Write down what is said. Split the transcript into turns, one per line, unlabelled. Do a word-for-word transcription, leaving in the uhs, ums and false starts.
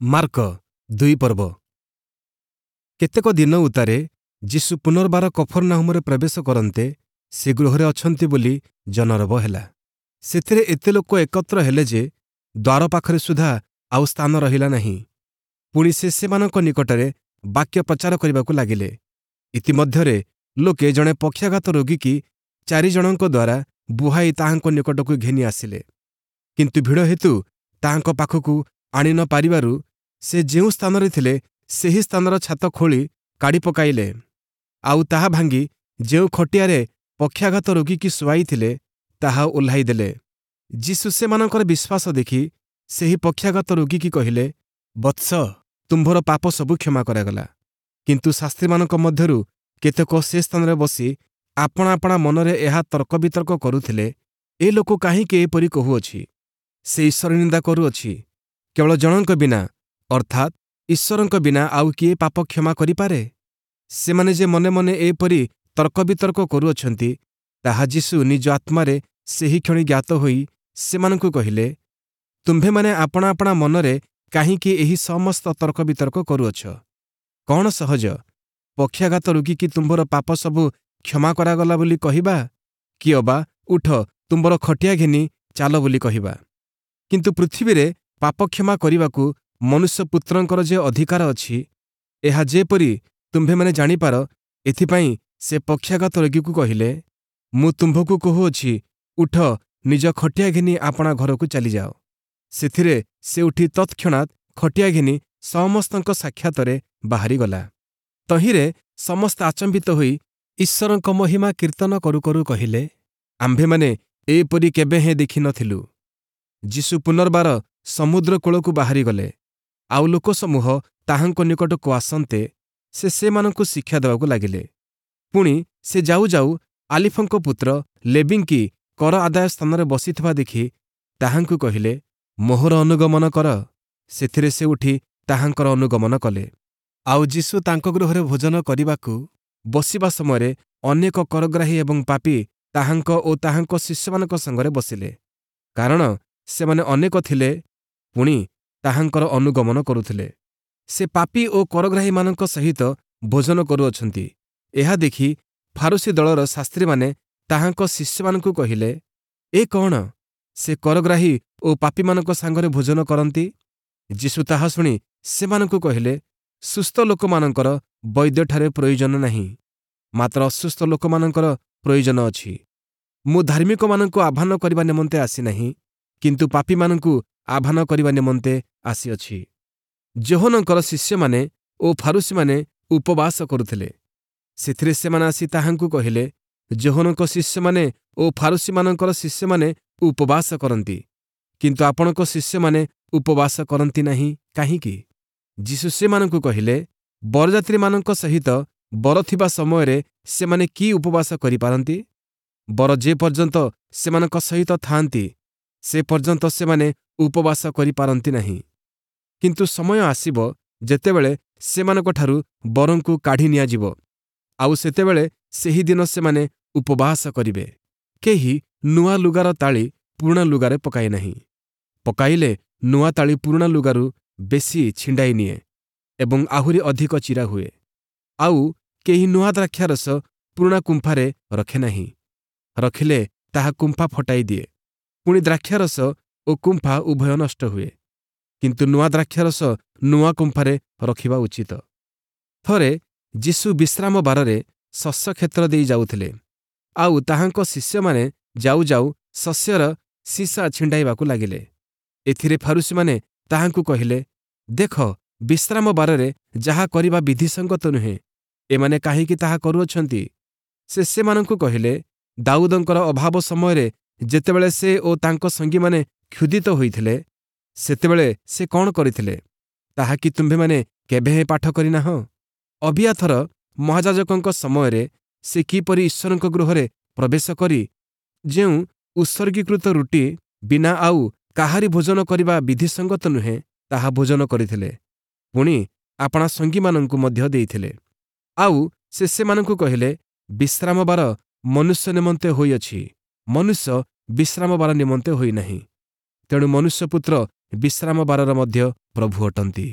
Mark ଦୁଇ ପର୍ବ କେତେକ ଦିନ ଉତ୍ତାରେ ଯୀଶୁ ପୁନର୍ବାର କଫର୍ନାହୂମରେ ପ୍ରବେଶ କରନ୍ତେ ସେ ଗୃହରେ ଅଛନ୍ତି ବୋଲି ଜନରବ ହେଲା। ସେଥିରେ ଏତେ ଲୋକ ଏକତ୍ର ହେଲେ ଯେ ଦ୍ୱାର ପାଖରେ ସୁଦ୍ଧା ଆଉ ସ୍ଥାନ ରହିଲା ନାହିଁ। ପୁଣି ସେ ସେମାନଙ୍କ ନିକଟରେ ବାକ୍ୟ ପ୍ରଚାର କରିବାକୁ ଲାଗିଲେ। ଇତିମଧ୍ୟରେ ଲୋକେ ଜଣେ ପକ୍ଷାଘାତ ରୋଗୀକି ଚାରିଜଣଙ୍କ ଦ୍ୱାରା ବୁହାଇ ତାହାଙ୍କ ନିକଟକୁ ଘେନି ଆସିଲେ। କିନ୍ତୁ ଭିଡ଼ ହେତୁ ତାହାଙ୍କ ପାଖକୁ ଆଣି ନ ପାରିବାରୁ ସେ ଯେଉଁ ସ୍ଥାନରେ ଥିଲେ ସେହି ସ୍ଥାନର ଛାତ ଖୋଳି କାଢ଼ି ପକାଇଲେ। ଆଉ ତାହା ଭାଙ୍ଗି ଯେଉଁ ଖଟିଆରେ ପକ୍ଷାଘାତ ରୋଗୀକି ଶୁଆଇଥିଲେ ତାହା ଓହ୍ଲାଇ ଦେଲେ। ଯୀଶୁ ସେମାନଙ୍କର ବିଶ୍ୱାସ ଦେଖି ସେହି ପକ୍ଷାଘାତ ରୋଗୀକି କହିଲେ, ବତ୍ସ, ତୁମ୍ଭର ପାପ ସବୁ କ୍ଷମା କରାଗଲା। କିନ୍ତୁ ଶାସ୍ତ୍ରୀମାନଙ୍କ ମଧ୍ୟରୁ କେତେକ ସେ ସ୍ଥାନରେ ବସି ଆପଣା ଆପଣା ମନରେ ଏହା ତର୍କବିତର୍କ କରୁଥିଲେ, ଏ ଲୋକ କାହିଁକି ଏପରି କହୁଅଛି? ସେ ଈଶ୍ୱର ନିନ୍ଦା କରୁଅଛି। କେବଳ ଜଣଙ୍କ ବିନା, ଅର୍ଥାତ୍ ଈଶ୍ୱରଙ୍କ ବିନା ଆଉ କିଏ ପାପ କ୍ଷମା କରିପାରେ? ସେମାନେ ଯେ ମନେ ମନେ ଏପରି ତର୍କବିତର୍କ କରୁଅଛନ୍ତି, ତାହା ଯୀଶୁ ନିଜ ଆତ୍ମାରେ ସେହିକ୍ଷଣି ଜ୍ଞାତ ହୋଇ ସେମାନଙ୍କୁ କହିଲେ, ତୁମ୍ଭେମାନେ ଆପଣା ଆପଣା ମନରେ କାହିଁକି ଏହି ସମସ୍ତ ତର୍କବିତର୍କ କରୁଅଛ? କ'ଣ ସହଜ, ପକ୍ଷାଘାତ ରୋଗୀକି ତୁମ୍ଭର ପାପ ସବୁ କ୍ଷମା କରାଗଲା ବୋଲି କହିବା, କି ଅବା ଉଠ, ତୁମ୍ଭର ଖଟିଆ ଘେନି ଚାଲ ବୋଲି କହିବା? କିନ୍ତୁ ପୃଥିବୀରେ ପାପ କ୍ଷମା କରିବାକୁ ମନୁଷ୍ୟପୁତ୍ରଙ୍କର ଯେ ଅଧିକାର ଅଛି, ଏହା ଯେପରି ତୁମ୍ଭେମାନେ ଜାଣିପାର, ଏଥିପାଇଁ ସେ ପକ୍ଷାଘାତ ରୋଗୀକୁ କହିଲେ, ମୁଁ ତୁମ୍ଭକୁ କହୁଅଛି, ଉଠ, ନିଜ ଖଟିଆ ଘେନି ଆପଣା ଘରକୁ ଚାଲିଯାଅ। ସେଥିରେ ସେ ଉଠି ତତ୍କ୍ଷଣାତ୍ ଖଟିଆ ଘେନି ସମସ୍ତଙ୍କ ସାକ୍ଷାତରେ ବାହାରିଗଲା। ତହିଁରେ ସମସ୍ତେ ଆଚମ୍ବିତ ହୋଇ ଈଶ୍ୱରଙ୍କ ମହିମା କୀର୍ତ୍ତନ କରୁ କରୁ କହିଲେ, ଆମ୍ଭେମାନେ ଏପରି କେବେହେଁ ଦେଖି ନ ଥିଲୁ। ଯୀଶୁ ପୁନର୍ବାର ସମୁଦ୍ର କୂଳକୁ ବାହାରିଗଲେ, ଆଉ ଲୋକସମୂହ ତାହାଙ୍କ ନିକଟକୁ ଆସନ୍ତେ ସେ ସେମାନଙ୍କୁ ଶିକ୍ଷା ଦେବାକୁ ଲାଗିଲେ। ପୁଣି ସେ ଯାଉ ଯାଉ ଆଲିଫଙ୍କ ପୁତ୍ର ଲେବୀଙ୍କି କର ଆଦାୟ ସ୍ଥାନରେ ବସିଥିବା ଦେଖି ତାହାଙ୍କୁ କହିଲେ, ମୋହର ଅନୁଗମନ କର। ସେଥିରେ ସେ ଉଠି ତାହାଙ୍କର ଅନୁଗମନ କଲେ। ଆଉ ଯୀଶୁ ତାଙ୍କ ଗୃହରେ ଭୋଜନ କରିବାକୁ ବସିବା ସମୟରେ ଅନେକ କରଗ୍ରାହୀ ଏବଂ ପାପୀ ତାହାଙ୍କ ଓ ତାହାଙ୍କ ଶିଷ୍ୟମାନଙ୍କ ସଙ୍ଗରେ ବସିଲେ, କାରଣ ସେମାନେ ଅନେକ ଥିଲେ, ପୁଣି ତାହାଙ୍କର ଅନୁଗମନ କରୁଥିଲେ। ସେ ପାପୀ ଓ କରଗ୍ରାହୀମାନଙ୍କ ସହିତ ଭୋଜନ କରୁଅଛନ୍ତି, ଏହା ଦେଖି ଫାରୂଶୀ ଦଳର ଶାସ୍ତ୍ରୀମାନେ ତାହାଙ୍କ ଶିଷ୍ୟମାନଙ୍କୁ କହିଲେ, ଏ କ'ଣ, ସେ କରଗ୍ରାହୀ ଓ ପାପୀମାନଙ୍କ ସାଙ୍ଗରେ ଭୋଜନ କରନ୍ତି? ଯୀଶୁ ତାହା ଶୁଣି ସେମାନଙ୍କୁ କହିଲେ, ସୁସ୍ଥ ଲୋକମାନଙ୍କର ବୈଦ୍ୟଠାରେ ପ୍ରୟୋଜନ ନାହିଁ, ମାତ୍ର ଅସୁସ୍ଥ ଲୋକମାନଙ୍କର ପ୍ରୟୋଜନ ଅଛି। ମୁଁ ଧାର୍ମିକମାନଙ୍କୁ ଆହ୍ୱାନ କରିବା ନିମନ୍ତେ ଆସିନାହିଁ, କିନ୍ତୁ ପାପୀମାନଙ୍କୁ ଆହ୍ୱାନ କରିବା ନିମନ୍ତେ ଆସିଅଛି। ଯୋହନଙ୍କର ଶିଷ୍ୟମାନେ ଓ ଫାରୂଶୀମାନେ ଉପବାସ କରୁଥିଲେ। ସେଥିରେ ସେମାନେ ଆସି ତାହାଙ୍କୁ କହିଲେ, ଯୋହନଙ୍କ ଶିଷ୍ୟମାନେ ଓ ଫାରୂଶୀମାନଙ୍କର ଶିଷ୍ୟମାନେ ଉପବାସ କରନ୍ତି, କିନ୍ତୁ ଆପଣଙ୍କ ଶିଷ୍ୟମାନେ ଉପବାସ କରନ୍ତି ନାହିଁ କାହିଁକି? ଯୀଶୁ ସେମାନଙ୍କୁ କହିଲେ, ବରଯାତ୍ରୀମାନଙ୍କ ସହିତ ବର ଥିବା ସମୟରେ ସେମାନେ କି ଉପବାସ କରିପାରନ୍ତି? ବର ଯେ ପର୍ଯ୍ୟନ୍ତ ସେମାନଙ୍କ ସହିତ ଥାଆନ୍ତି, ସେ ପର୍ଯ୍ୟନ୍ତ ସେମାନେ ଉପବାସ କରିପାରନ୍ତି ନାହିଁ। କିନ୍ତୁ ସମୟ ଆସିବ ଯେତେବେଳେ ସେମାନଙ୍କଠାରୁ ବରଙ୍କୁ କାଢ଼ି ନିଆଯିବ, ଆଉ ସେତେବେଳେ ସେହି ଦିନ ସେମାନେ ଉପବାସ କରିବେ। କେହି ନୂଆ ଲୁଗାର ତାଳି ପୁରୁଣା ଲୁଗାରେ ପକାଏ ନାହିଁ। ପକାଇଲେ ନୂଆ ତାଳି ପୁରୁଣା ଲୁଗାରୁ ବେଶୀ ଛିଣ୍ଡାଇ ନିଏ ଏବଂ ଆହୁରି ଅଧିକ ଚିରା ହୁଏ। ଆଉ କେହି ନୂଆ ଦ୍ରାକ୍ଷାରସ ପୁରୁଣା କୁମ୍ଫାରେ ରଖେ ନାହିଁ। ରଖିଲେ ତାହା କୁମ୍ଫା ଫଟାଇ ଦିଏ, ପୁଣି ଦ୍ରାକ୍ଷାରସ ଓ କୁମ୍ଫା ଉଭୟ ନଷ୍ଟ ହୁଏ। କିନ୍ତୁ ନୂଆ ଦ୍ରାକ୍ଷାରସ ନୂଆ କୁମ୍ଫାରେ ରଖିବା ଉଚିତ। ଥରେ ଯୀଶୁ ବିଶ୍ରାମ ବାରରେ ଶସ୍ୟକ୍ଷେତ୍ର ଦେଇ ଯାଉଥିଲେ, ଆଉ ତାହାଙ୍କ ଶିଷ୍ୟମାନେ ଯାଉ ଯାଉ ଶସ୍ୟର ଶୀଷା ଛିଣ୍ଡାଇବାକୁ ଲାଗିଲେ। ଏଥିରେ ଫାରୂଶୀମାନେ ତାହାଙ୍କୁ କହିଲେ, ଦେଖ, ବିଶ୍ରାମ ବାରରେ ଯାହା କରିବା ବିଧିସଙ୍ଗତ ନୁହେଁ, ଏମାନେ କାହିଁକି ତାହା କରୁଅଛନ୍ତି? ସେ ସେମାନଙ୍କୁ କହିଲେ, ଦାଉଦଙ୍କର ଅଭାବ ସମୟରେ ଯେତେବେଳେ ସେ ଓ ତାଙ୍କ ସଙ୍ଗୀମାନେ କ୍ଷୁଧିତ ହୋଇଥିଲେ, ସେତେବେଳେ ସେ କ'ଣ କରିଥିଲେ, ତାହା କି ତୁମ୍ଭେମାନେ କେବେହେଁ ପାଠ କରିନାହଁ? ଅବିୟାଥର ମହାଯାଜକଙ୍କ ସମୟରେ ସେ କିପରି ଈଶ୍ୱରଙ୍କ ଗୃହରେ ପ୍ରବେଶ କରି ଯେଉଁ ଉତ୍ସର୍ଗୀକୃତ ରୁଟି ବିନା ଆଉ କାହାରି ଭୋଜନ କରିବା ବିଧିସଙ୍ଗତ ନୁହେଁ, ତାହା ଭୋଜନ କରିଥିଲେ, ପୁଣି ଆପଣା ସଙ୍ଗୀମାନଙ୍କୁ ମଧ୍ୟ ଦେଇଥିଲେ। ଆଉ ସେ ସେମାନଙ୍କୁ କହିଲେ, ବିଶ୍ରାମବାର ମନୁଷ୍ୟ ନିମନ୍ତେ ହୋଇଅଛି, ମନୁଷ୍ୟ ବିଶ୍ରାମବାର ନିମନ୍ତେ ହୋଇନାହିଁ। ତେଣୁ ମନୁଷ୍ୟପୁତ୍ର ବିଶ୍ରାମବାରର ମଧ୍ୟ ପ୍ରଭୁ ଅଟନ୍ତି।